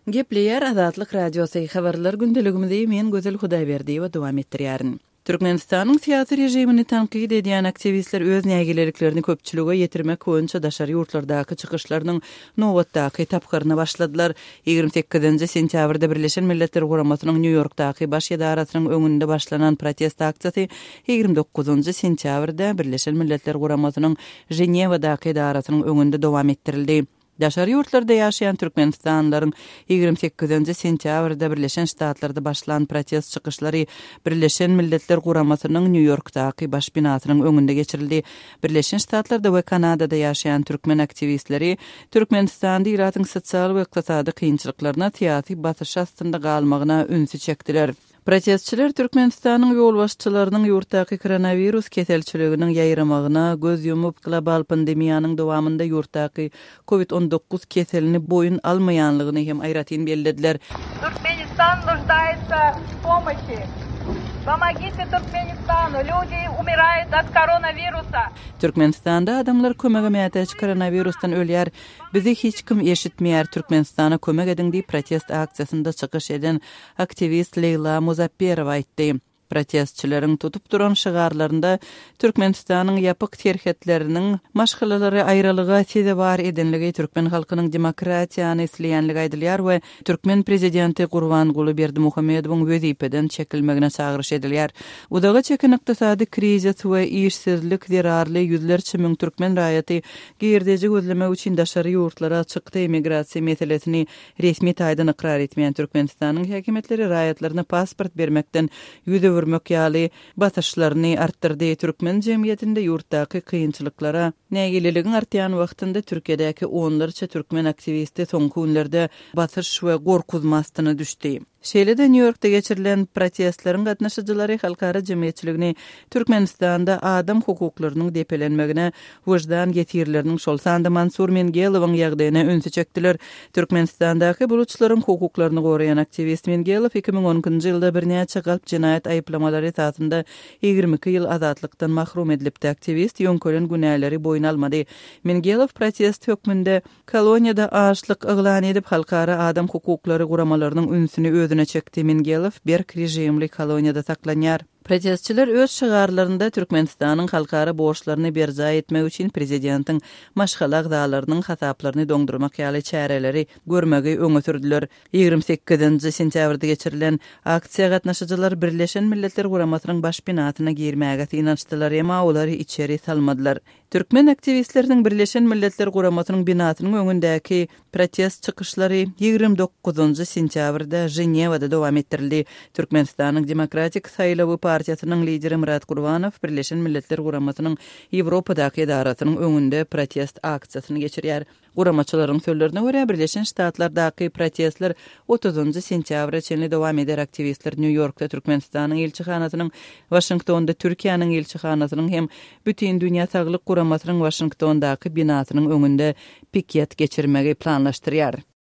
Gepleýär Azatlyk Radiosy, Habarlar gündeligimizi men Gözel Hudaýberdiýewa dowam etdirýärin. Türkmenistanyň syýasy režimini tankyt edýän aktiwistler öz nägileliklerini köpçülige ýetirmek boýunça daşary ýurtlardaky çykyşlarynyň nobatdaky tapgyryna başladylar. 28-nji sentýabrda Birleşen Milletler Guramasynyň Nýu-Ýorkdaky baş edarasynyň öňünde başlanan protest aksiýasy 29-njy sentýabrda Birleşen Milletler Guramasynyň Ženewadaky edarasynyň öňünde dowam etdirildi. Daşary ýurtlarda ýaşaýan türkmenistanlylaryň 28-nji sentýabrda Birleşen Ştatlarda başlan protest çykyşlary Birleşen Milletler Guramasynyň Nýu-Ýorkdaky baş binasynyň öňünde geçirildi. Birleşen Ştatlarda we Kanadada ýaşaýan türkmen aktiwistleri Türkmenistanda ilatyň sosial we ykdysady kynçylyklaryna, syýasy basyş astynda galmagyna ünsi çekdiler. Protestçiler Türkmenistanyň ýolbaşçylarynyň ýurtdaky koronawirus keselçiliginiň ýaýramagyna göz ýumup, global pandemiýanyň dowamynda ýurtdaky Covid 19 keselini boýun almaýanlygyny hem aýratyn bellediler. Turkmenistan нуждается в помощи. Pomogite Turkmenistanu, люди umiraýut ot koronawirusa. Türkmenistanda adamlar kömege mätäç koronawirusdan ölýär. Bizi hiç kim eşitmeýär, Türkmenistana kömek ediň diýip protest aksiýasynda çykyş eden aktiwist Leýla Muzapperowa aýtdy. Protestçileriň tutup duran şygarlarynda Türkmenistanyň ýapyk serhetleriniň maşgalalary aýralyga sezewar edenligi, türkmen halkynyň demokratiýany isleýänligi aýdylýar we türkmen prezidenti Gurbanguly Berdimuhamedowyň wezipeden çekilmegine çagyryş edilýär. Uzaga çeken ykdysady krizis we işsizlik zerarly ýüzlerçe müň türkmen raýaty girdeji gözlemek üçin daşary ýurtlara çykdy, migrasiýa meselesini Resmi taýdan ykrar etmeýän Türkmenistanyň häkimiýetleri raýatlaryna pasport bermekden ýüz öwürmek ýaly basyşlaryny artdyrdy. Türkmen jemgyýetinde ýurtdaky kynçylyklara nägileligiň artýan wagtynda Türkiýedäki onlarça türkmen aktiwisti soňky günlerde basyş we gorkuzma astyna düşdi. Şeýle-de Nýu-Ýorkda geçirilen protestleriň gatnaşyjylary halkara jemgyýetçiligini Türkmenistanda adam hukuklarynyň depelenmegine, wyždan ýesirleriniň, şol sanda Mansur Mengelowyň ýagdaýyna ünsi çekdiler. Türkmenistandaky buluçlaryň hukuklaryny goraýan aktiwist Mengelow 2012-nji ýylda birnäçe galp jenaýat aýyplamalary esasynda 22 ýyl azatlykdan mahrum edilipdi. Aktiwist ýöňkelen günäleri boýun almady. Mengelow protest hökmünde Koloniýada açlyk yglan edip, halkara adam hukuklary guramalarynyň ünsüni özüne çekdi. Mingelow berk režimli koloniýada saklanýar. Protestçiler öz şygarlarynda Türkmenistanyň halkara borçlaryny berjaý etmegi üçin prezidentiň maşgala agzalarynyň hasaplaryny doňdurmak ýaly çäreleri görmegi öňe sürdüler. 28-nji sentýabrda geçirilen aksiýa gatnaşyjylar Birleşen Milletler Guramasynyň baş binasyna girmäge synanyşdylar, emma olary içeri salmadylar. Türkmen aktiwistleriniň Birleşen Milletler Guramasynyň binasynyň öňündäki protest çykyşlary 29-njy sentýabrda Ženewada dowam etdirildi. Türkmenistanyň Demokratik saýlawy partiýasynyň lideri Myrat Gurbanow Birleşen Milletler Guramasynyň Ýewropadaky edarasynyň öňünde protest aksiýasyny geçirýär. Guramaçylaryň sözlerine görä, Birleşen Ştatlardaky protestler otuzynjy sentýabra çenli dowam eder. Aktiwistler Nýu-Ýorkda Türkmenistanyň ilçihanasynyň, Waşingtonda Türkiýäniň ilçihanasynyň hem Bütindünýä saglyk guramasynyň Waşingtondaky binasynyň öňünde piket geçirmegi planlaşdyrýar.